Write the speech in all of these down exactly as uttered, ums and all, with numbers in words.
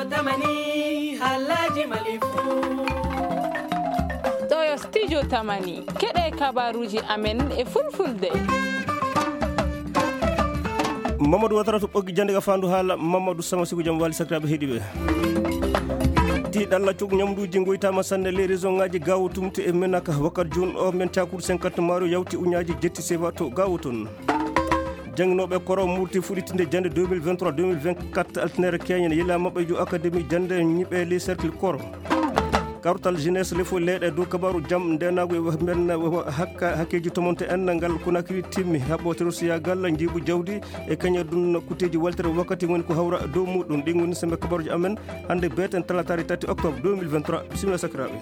Tamani, halaji malifu. Ɗo yo studio Tamani. Keɗe kabaruji amen e fulfulde. Mamadou Watara to ɓoggi jande ka fandu haala. Mamadou Sama Sigo, jam wali sakiraɓe heɗiɓe. Ti ɗalla cuk ñamduji goytama sanne les région ngaji gawo tumte e menaka wakat jun o men cakur cinquante mario yawti uñaji jetti seva to gawo ton. Jannginooɓe koro murti fuɗitinde jannde deux mille vingt-trois deux mille vingt-quatre altinere keñen yila maɓɓe jo académie jannde ñiɓe les cercle koro. Kartal jeunesse lefo leyɗe dow kabaru jam ndenagu e mbenna hakka hakkeji tomonte enna ngal konakiri timmi haɓɓo terosiyagal jiibu jawdi e kañe ɗum kutteji waltere wakkati woni ko hawra dow muɗum. Ɗin woni sembe kabaruji amen hannde beten talatari tati octobre deux mille vingt-trois. Bisimilla sakiraɓe.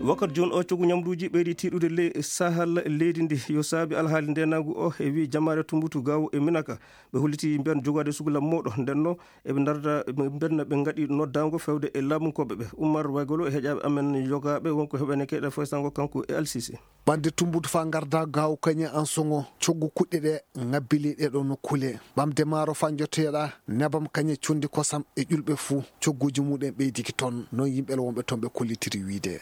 Wakkati joni o cogu ñamduji ɓeydi tiɗude ley sahal leydi ndi yo saabi alhaali ndenagu o e wi jamaare tumbutu gawo e minaka. Ɓe holliti mbiyan jogade sugula moɗo ndenno eɓe darda ɓe mbenna ɓe gaɗi noddago fewde e laamunkoɓe ɓe. Ummar Waygolo e heƴaɓe amen yogaɓe wonko heɓene keɗe foysango kanko e alsisi. Ɓande tumbutu fa garda gawo kañe an songo coggu kuɗɗe ɗe ngabbili ɗe ɗo nokkule. Ɓamde maaro fa jottoyeɗa nebam kañe condi kosam e ƴulɓe fuu cogguji muɗum ɓeydiki ton. Non yimɓe wonɓe ton ɓe kollitiri wiide.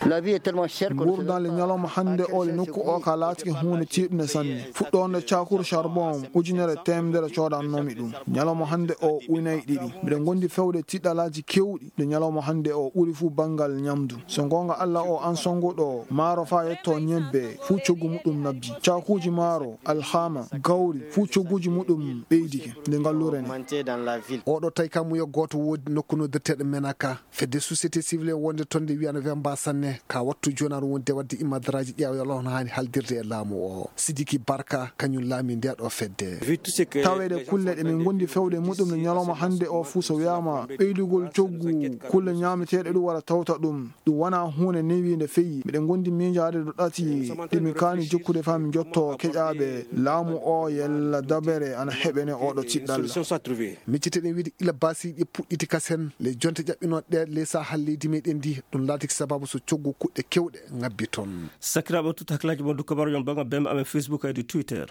Ngurdan le ñalawma hannde o le nokku o ka laatike huunde tiiɗunde sanne. Fuɗɗoonde cakuru charbon ujunere teemedere coodannomi ɗum. Ñalawma hannde o unayi ɗiɗi. Miɗen ngondi fewde tiɗɗalaaji kewɗi. Nde ñalawma hannde o ɓuri fuu banngal ñamdu. So ngoonga Alla o an sonnguɗo maaro faa yetto ñebbe fuu coggu muɗum nabbi. Caakuuji maaro, alhaama, gawri fuu cogguuji muɗum ɓeydike nde ngalluure nde. Oɗo tawi kam muya gooto woodi nokku noddirteeɗo Menaka. Fedde société civile wonde toon nde wiyano wemba sanne ka wattu jonaano wonde wadde imadraji ƴeewa yolo hono haani haldirde e laamu o. Sidiki Barka kañum laami nde ɗo fedde. Taweede kulle ɗe min ngondi fewde muɗum no ñalawma hannde o fuu so wiyaama ɓeydugol coggu kulle ñaameteeɗe ɗum wara tawta ɗum. Ɗum wonaa huunde newiinde feyi. Miɗen ngondi miijaade ɗo ɗati ɗe min kaani jokkude faa min njotto keƴaaɓe laamu o yalla dabere ana heɓene oɗo tiɗɗalla. Micciteɗen wiide ila basiiji puɗɗiti kasen le jonte ƴaɓɓinooɗe ɗe ley sahal leydi meɗen ndi ɗum laatiki sababu so coggu kuɗɗe kewɗe ngabbi toon. Sakiraaɓe, tutta hakkilaaji mon dow kabaruji on bannga bembe amen Facebook e dow Twitter.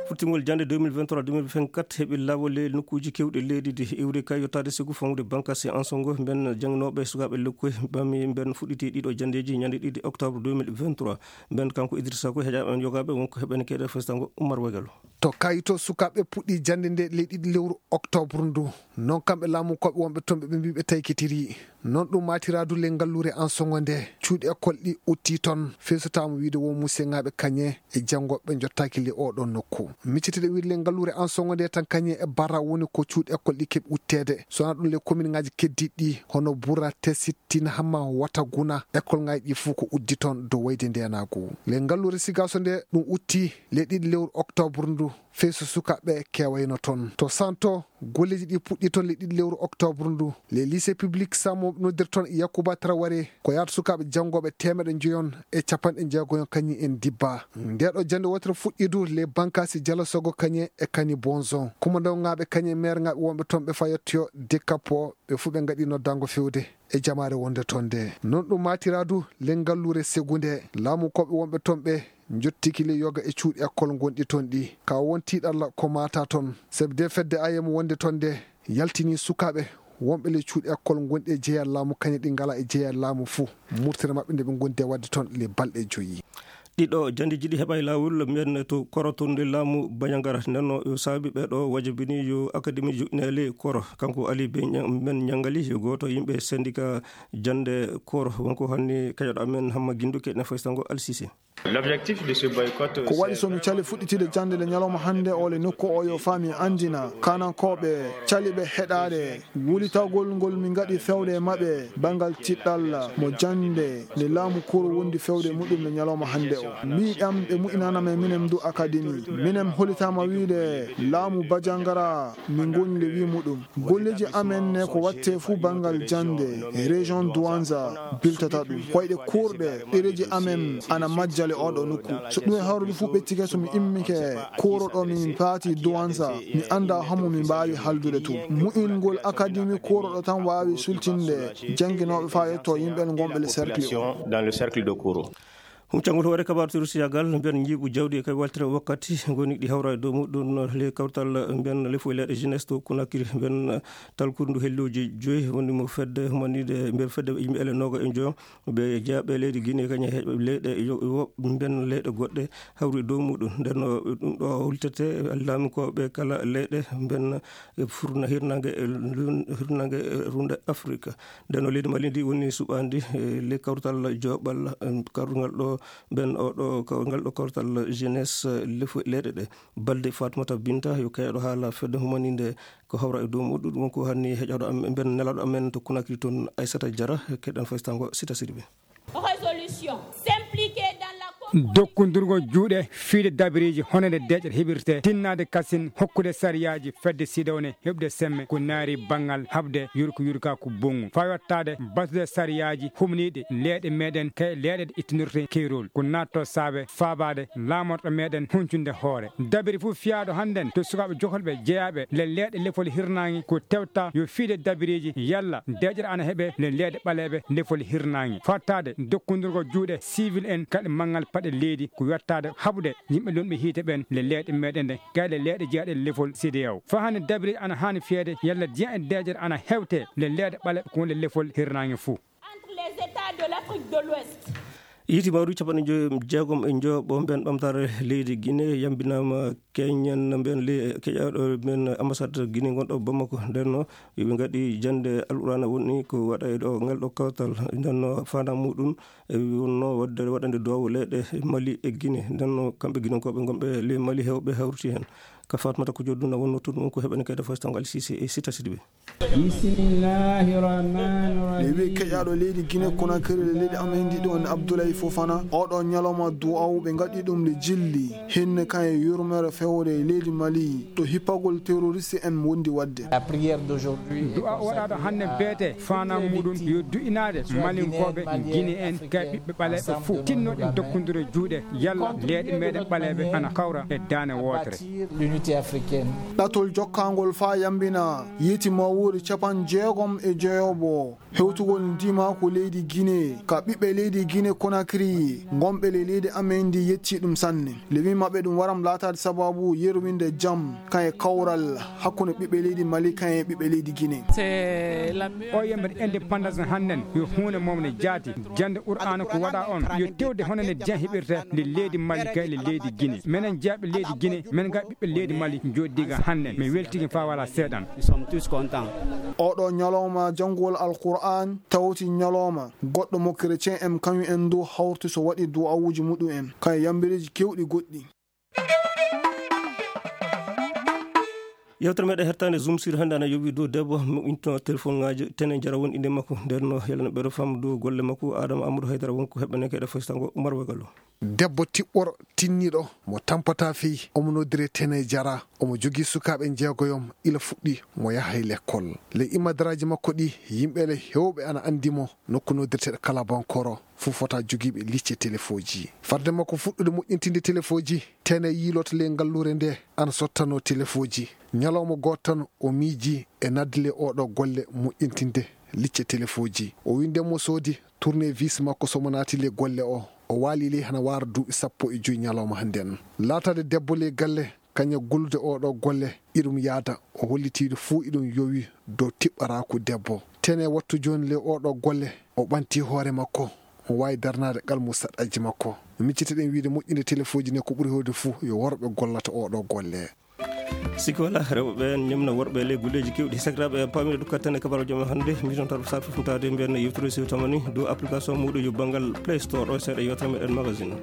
Futtingol jannde deux mille vingt-trois deux mille vingt-quatre heɓi laawol e nokkuuji keewɗi leydi ndi. Iwri kay yottaade sigu famɗude bankas e ansongo mben jannginooɓe sukaaɓe lekkoy bami mben fuɗɗiti ɗiɗo janndeeji ñande ɗiɗi octobre deux mille vingt-trois. Mben kanko Idrissa Koy heƴaaɓe en yogaaɓe wonko heɓene keɗe festango Umar Wagalo. To kayito sukaaɓe puɗɗi jannde nde ley ɗiɗi lewru octobre ndu. Non kamɓe laamu koɓe wonɓe toon ɓe ɓe mbi ɓe taykitiri. Non ɗum maatiraadu le ngalluure ansongo nde cuuɗi école ɗi utti toon feesotaama wiide wo museŋaaɓe kañe e janngoɓe jottaaki le oɗo nokku. Miccitiɗe wiide le ngalluure ansongo nde tan kañe e bara woni ko cuuɗi école ɗi keɓi utteede. So wonaa ɗum le commune ŋaaji keddiɗi ɗi hono Bura, Tesit, Tina Hamma, Wata Guna, école ŋaaji ɗi fof ko uddi toon dow wayde ndenaagu. Le ngalluure Sigaso nde ɗum utti le ɗiɗi lewru octobre ndu. Fey so sukaaɓe keewayno toon. To Santo, golleeji ɗi puɗɗi toon le ɗiɗi lewru octobre ndu. Le lycée public Samo noddir toon Yakuba Traoré. Ko yaata sukaaɓe janngooɓe teemeɗe njoyon e capanɗe jeegoyon kañum en dibba. Nde ɗo jannde wootere fuɗɗidu le bankasi Jalasogo kañe e kani Bonzon. Kumandaw ŋaaɓe kañe maire ŋaaɓe wonɓe toon ɓe fayottoyo Dekapo ɓe fuu ɓe ngaɗi noddaango fewde e jamaare wonde toon nde. Non ɗum maatiraadu le ngalluure Segu nde. Laamu koɓe wonɓe toon ɓe njottiki le yoga e cuuɗi école gonɗi toon ɗi. Ka won tiiɗalla ko maata toon. Sebde fedde ayem wonde toon nde yaltini sukaaɓe wonɓe le cuuɗi école gonɗi e jeya laamu kañe ɗi ngala e jeya laamu fuu. Murtere maɓɓe nde ɓe gondi e wadde toon le balɗe joyi. Ɗiɗo janndeeji ɗi heɓa e laawol mbiyen to koro to nde laamu Bandiagara. Nden no yo saabi ɓeeɗo wajabini yo akademi joƴƴineele koro. Kanko Ali Ben Ña-, Ben Ñangali yo gooto yimɓe syndicat jannde koro. Wonko hanni kañoɗo amen Hamma Ginduke ne faysango Alsise. L'objectif de ce boycott, ko waɗi so mi cali fuɗɗitide jannde le ñalawma hannde o le nokku o yo faami anndina kanankooɓe caliɓe heɗaade wulitagol ngol min ngaɗi fewde e maɓɓe banngal tiɗɗal mo jannde nde laamu koro wondi fewde muɗum le ñalawma hannde o. Mbiɗam ɓe mu'inanama e minen ndu akademi. Minen holitaama wiide laamu Bajangara min ngoni le wi muɗum. Golleeji amen ne ko watte fuu banngal jannde, région Douanza biltata ɗum. Koyɗe kuurɗe, ɗereeji amen ana majjale oɗo nokku. So ɗum e hawrude fuu ɓettike so mi immike kuuro ɗo min paati Douanza, mi annda homo mi mbaawi haldude tun. Mu'ingol akademi kuuro ɗo tan waawi sultinde jannginooɓe faa yetto yimɓe ngonɓe le cercle o. Dans le cercle de Kouro. Huccangol hoore kabaru terroriste yagal mbiyan njiiɓu jawdi e kay waltere wakkati ngoni ɗi hawra e dow muɗum le kawtal mbiyan lefu e leyɗe jeunesse to Conakry mbiyan talkurdu helloji joyi woni mo fedde humanide mbiyan fedde yimɓe ele noga e joyo ɓe jeyaɓe leydi Guinée kañum e leyɗe yo mbiyan leyɗe goɗɗe hawri e dow muɗum. Nden ɗum ɗo hultete laamikooɓe kala leyɗe mbiyan furna hirnange hirnange runde Afrique. Nden o leydi Mali ndi woni suɓaandi e le kawtal joɓal karungal ɗo ɓen oɗo kawgal ɗo kawtal jeunesse lefu leyɗe ɗe. Balde Fatmata Binta yo kayɗo haala fedde humaninde ko hawra e dow muɗum ɗum ko hanni heƴoɗo am ɓen nelaɗo amen to Conakry toon Aissata Diarra. Keɗen faystango Sita Sidibé. Résolution s'impliquer dans la Dokkundirgol juuɗe fiide dabireeji honande deeƴere heɓirte tinnaade kasin hokkude sariyaaji fedde sidawne heɓde semme ko naari banngal haɓde yurko yurkaaku bonngu faa yottaade batude sariyaaji humniiɗi leeɗe meɗen kay leeɗe ɗe ittinirte keerol ko naatto saabe faabaade laamorɗo meɗen huncunde hoore dabiri fof fiyaaɗo hannden to sukaaɓe jokolɓe jeyaaɓe le leeɗe lefol hirnaange ko tewta yo fiide dabireeji yalla deeƴere ana heɓe le leeɗe ɓaleeɓe lefol hirnaange fattaade dokkundirgol juuɗe civil en kaɗe manngal paɗe leydi ko yottaade haɓude yimɓe lunɓe hiite ɓen le leeɗe meɗen ɗe kayɗe leeɗe jeyaɗe lefol cdao faa hannde dabiri ana haani feede yalla diyan e deeƴere ana hewte le leeɗe ɓale ko wonde lefol hirnaange fuu. Entre les États de l'Afrique de l'Ouest. Yiiti mawri capanɗe joyi jeegom e joyo ɓo mben ɓamtaare leydi Guinée yambinaama keñen mben keƴaɗo mben ambassade Guinée gonɗo Bamako ndenno yoɓe ngaɗi jande alqurana woni ko waɗa e ɗo ngal ɗo kawtal ndenno fana muɗum e wonno wadde waɗande duwawu leyɗe Mali e Guinée ndenno kamɓe guinenkooɓe gonɓe ley Mali hewɓe hawriti heen ka Fatmata ko jodduna wonno toon ɗum ko heɓani kayda fostango alsisi e sita sidiɓe. Bismillahi rahmani rahim. Ɓe wi keƴaɗo leydi Guinée Conakry le leydi amen ndi ɗon Abdoulaye Fofana oɗo ñalawma du'awu ɓe ngaɗi ɗum le jilli hinne kan e yurmere fewde e leydi Mali ɗo hippagol terroriste en wondi wadde. Du'a waɗaɗo hannde beete fana muɗum yo du'inaade malinkoɓe Guinée en kay ɓiɓɓe ɓaleɓe fof tinnoɗe dokkondiro juuɗe yalla leeɗe meɗen ɓaleɓe ana kawra e daane wootere. Ɗatol jokkangol faa yambina yeti mawuuri capan jeegom e jeyobo hewtugol ndima ko leydi Guinée ka ɓiɓɓe leydi Guinée Conakry gonɓe le leydi amen ndi yetti ɗum sanne. Lewin maɓɓe ɗum waram laataade sababu yerwinde jam kan e kawral hakkunde ɓiɓɓe leydi Mali kan e ɓiɓɓe leydi Guinée. O yembere indépendance hannden yo huunde momne jaati jannde qur'aana ko waɗa on yo tewde hono ne jen heɓirta nde leydi Mali kay le leydi Guinée menen jaaɓe leydi Guinée men ga ɓiɓɓe leydi Mali jooɗiga hannden mi weltigi faa wala seeɗan. Oɗo ñalawma janngugol alqur'an tawti ñalawma goɗɗo mo chrétien en kañum en du hawti so waɗi du'awuuji muɗum en kan e yambireeji kewɗi goɗɗi. Yewtere meɗen hertande zoom sur hannde ana yowi dow debbo moɓinto téléphone ngaji tene jara won inde makko nden no yalano ɓeɗo fam dow golle makko adama amadou haydara wonko heɓɓaneke ɗe fostango umar wagalo. Debbo tiɓɓoro tinniɗo mo tampata fii omo noddire tene jara omo jogii sukaaɓe njeegoyom ila fuɗɗi mo yahay lekkol. Ley imadaraaji makko ɗi yimɓe le hewɓe ana anndi mo nokku noddirteɗo kalabankoro fuu fota jogiiɓe licce telefoji. Farde makko fuɗɗude moƴƴintinde telefoji tene yiiloto ley ngalluure nde ana sottano telefoji. Ñalawma gooto tan o miiji e nadde le oɗo golle moƴƴintinde licce telefoji o winde mo soodi tournevis makko somo naati ley golle o o waali ley hana waara duuɓi sappo e joyi ñalawma hannden. Laataade debbo ley galle kaña gollude oɗo golle iɗum yaada o hollitiiɗo fuu iɗum yowi dow tiɓɓaraaku debbo. Tene wattu jooni ley oɗo golle o ɓanti hoore makko o waawi darnaade qalmu saɗɗaji makko. No micciteɗen wiide moƴƴinde telefoji ne ko ɓuri hewde fuu yo worɓe gollata oɗo golle. Sikki wala rewɓe ɓen ñemna worɓe ley golleji kewɗi sakiraɓe pamire dukkat tan e kabaruji men hannde mitontaɗo sar fofntade mbiyanno yewtere siwtamani dow application muɗum yo banngal play store ɗo seeɗa yewtere meɗen magazine.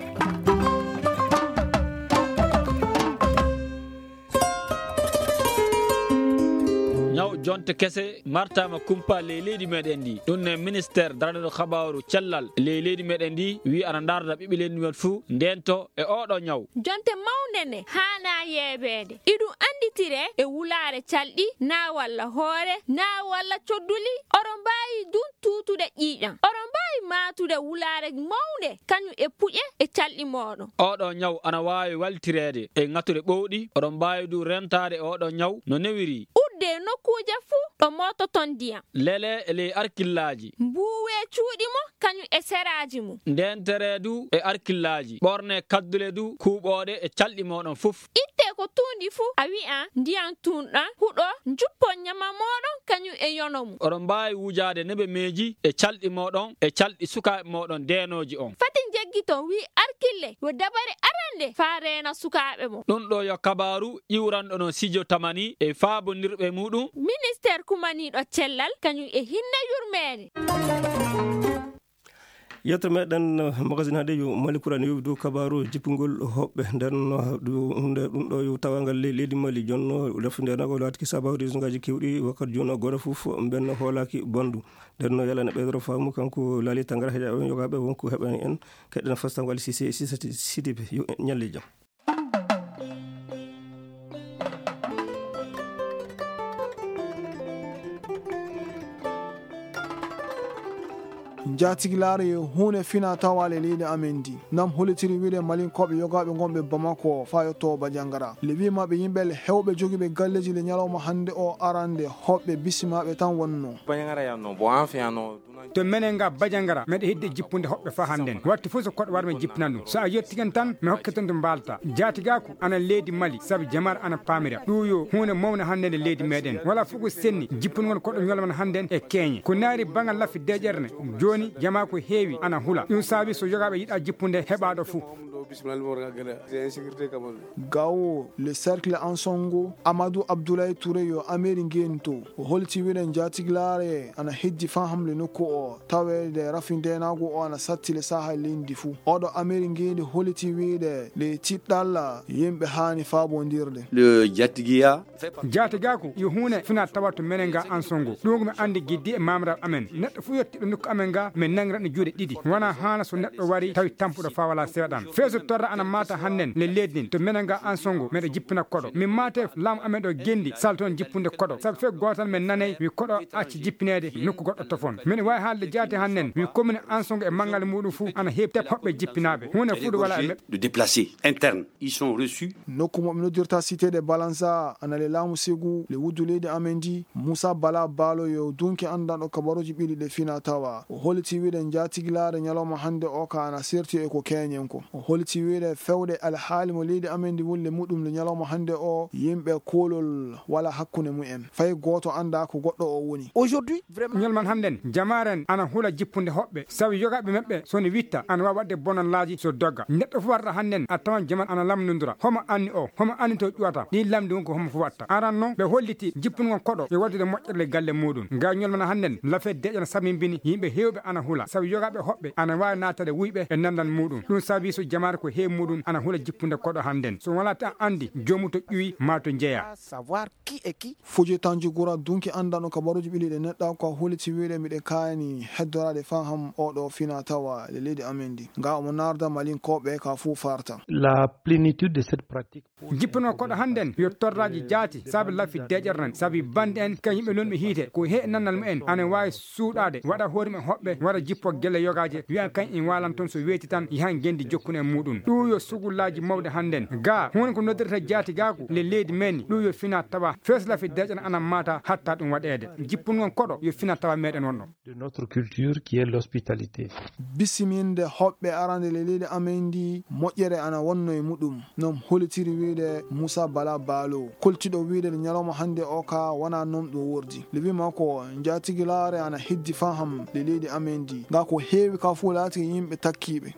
Ñaw jonte kese martama kumpa ley leydi meɗen ndi ɗum ne ministère daraɗo habaru cellal ley leydi meɗen ndi wi ana darda ɓiɓɓe leydi men fuu ndento e oɗo ñaw. Jonte mawnde nde haana yeebeede iɗum annditire e wulaare calɗi naa walla hoore naa walla codduli oɗo mbaawi dun tuutude ƴiiƴam oɗo mbaawi maatude wulaare mawnde kañum e puƴe e calɗi mooɗon. Oɗo ñaw ana waawi waltireede e ŋatuɗe ɓowɗi oɗo mbaawi du rentaade e oɗo ñaw no newiri. Udde. e nokkuuje fuu ɗo moototon ndiyam. Lele e ley arkillaaji. Mbuuwee cuuɗi mon kañum e seraaji mum. Ndeenteree du e arkillaaji. Ɓornee kaddule du kuuɓooɗe e calɗi mooɗon fof. Ittee ko tuundi fuu, a wi'a ndiyam tun ɗan huɗo, njuppon ñama mooɗon kañum e yono mum. Oɗon mbaawi wujaade nebemeeji e calɗi mooɗon e calɗi sukaaɓe mooɗon deenooji on. Fati njeggiton, wi'i Arkille, yo dabare arande faa reena sukaaɓe mon. Ɗun ɗoo yo kabaaru iwranɗo non Sijo Tamani e faabondirɓe muɗum. Ministeer kumaniiɗo cellal kañum e hinne yurmeende. Yettere meɗen, eh, magasin hannde yo Mali Kura ne yowi dow kabaaru jippungol hoɓɓe. Nden, eh, ɗu-, hunde ɗum ɗo yo tawangal le-, leydi Mali jonno leftu nde nago laatiki sababu région ngaji kewɗi wakkati jooni gona fof mben hoolaki bandu. Nden no yalana ɓeydoro faamu kanko Laali Tangara heƴaɓe yogaɓe wonko heɓani en. Keɗen fastango Ali Sise, Sise Sidibe, yo en ñalle jam. Njaatigilaaru e huune fina tawaale leydi amen ndi. Nam holitiri wiide Malinkooɓe yogaaɓe ngonɓe Bamako faa yotto Bajangara. Le wii maɓɓe yimɓe le hewɓe jogiiɓe galleeji le ñalawma hannde o arande hoɓɓe bisimaaɓe tan wonno. Bajangara yanno, bo an fi yanno. To menen nga Bajangara, meɗe hidde jippunde hoɓɓe faa hannden. Wattu fof so koɗo war men jippinan ɗum. So a yettiken tan, mi hokke ton to mbaalta. Jaatigaaku ana leydi Mali, sabi jamaare ana paamira. Ɗum yo huunde mawnde hannden e leydi meɗen. Wala fof ko senni, jippungol koɗo ñolman hannden e keeñe. Ko naari bangal laffi deƴere ne, jooni jamaa ko heewi ana hula. Ɗum saabi so yogaaɓe yiɗa jippunde heɓaaɗo fof. Gawo, le cercle Ansongo, Amadou Abdoulaye Touré yo Ameri ngento. O holti wiɗen jaatigilaare ana hejji faa hamle nokku o, taweede rafi ndeenaagu o ana satti le saha leydi fuu. Oɗo Ameri ngendi holiti wiide le tiɗɗalla yimɓe haani faabondirde. Le Jatigiya. Jaatigaaku yo huune fina tawa to menen nga Ansongo. Ɗum ko mi anndi giddi e maamiraaɓe amen. Neɗɗo fuu yottiɗo nokku amen nga, min nangira ɗum juuɗe ɗiɗi. Wonaa haana so neɗɗo wari tawi tampuɗo faa walaa seeɗan. Fee so torra ana maata hannden le leydi ndin, to menen nga Ansongo, meɗa jippina koɗo. Min maate laamu amen ɗo gendi, salton jippunde koɗo. Sabu fee gootal men nanay wi koɗo acci jippineede nokku goɗɗo tofon. Min waawi haalde jaati hannden, wi commune Ansongo e manngal muuɗum fuu ana heɓi tep hoɓɓe jippinaaɓe. Huunde fuu ɗo walaa e maɓɓe. De déplacer interne. Ils sont reçus. Nokku mo ɓe noddirta Cité de Balanza, ana le laamu Segu, le wuddu leydi amen ndi, Moussa Bala Balo yo dunki anndanɗo kabaruuji ɓiɗi ɗe fina tawa. O holiti wiide njaatigilaare ñalawma hannde o ka ana serti e ko keñen ko. O holiti wiide fewde alhaali mo leydi amen ndi woni le muɗum le ñalawma hannde o, yimɓe koolol wala hakkunde mumen. Fay gooto anndaa ko goɗɗo o woni. Aujourd'hui, vraiment. Ñalman hannden, jamaaren ana hula jippunde hoɓɓe, sabu yogaaɓe maɓɓe so ne witta, ana waawi waɗde bonanlaaji so dogga. Neɗɗo fof warata hannden, a tawan jaman ana lamndondira. Homo anni o, homo anni to ƴuwata. Ɗin lamndi won ko homo fof watta. Aran non, ɓe holliti jippungol koɗo e waɗude moƴƴere galle muuɗum. Nga ñalman hannden, lafet deƴan sabimbini yimɓe heewɓe ana hula. Sabu yogaaɓe hoɓɓe ana waawi naatade wuyɓe e nanndal muuɗum. Ɗum sabi so jamaare ko heewi muuɗum ana hula jippunde koɗo hannden. So walaa tan anndi, joomu to ƴuwi maa to njeya. Savoir qui est qui. Fuji Tanjugura dunki anndanɗo kabaruuji ɓiɗi ɗe neɗɗa ko a huliti wiide miɗe kaani heddoraade faham oɗo fina tawa le leydi amen ndi. Nga omo naarda Malinkooɓe ka fuu farta. La plénitude de cette pratique. Jippunoo koɗo hannden yo torraaji jaati sabi lafi deƴere nen sabi bande en kan yimɓe non ɓe hiite ko he nannal mumen ana waawi suuɗaade waɗa hoore mum hoɓɓe waɗa jippo gelle yogaaje wi'a kan en waalan toon so weeti tan yahan ngenndi jokkun en muuɗum. Ɗum yo sugullaaji mawɗi hannden. Gaa, huunde ko noddirta jaatigaaku le leydi men, ɗum yo fina tawa feeslafi deƴan anan maata hatta ɗum waɗeede. Jippun ngon koɗo yo fina tawa meɗen wonɗo. De notre culture qui est l'hospitalité. Bisiminde hoɓɓe arande le leydi amen ndi moƴƴere ana wonno e muɗum. Non holitiri wiide Moussa Bala Balo, koltiɗo wiide le ñalawma hannde o ka wona non ɗum wordi. Le wima ko njatigilaare ana heddi faham le leydi amen ndi. Nga ko heewi ka fof laati yimɓe takkiiɓe.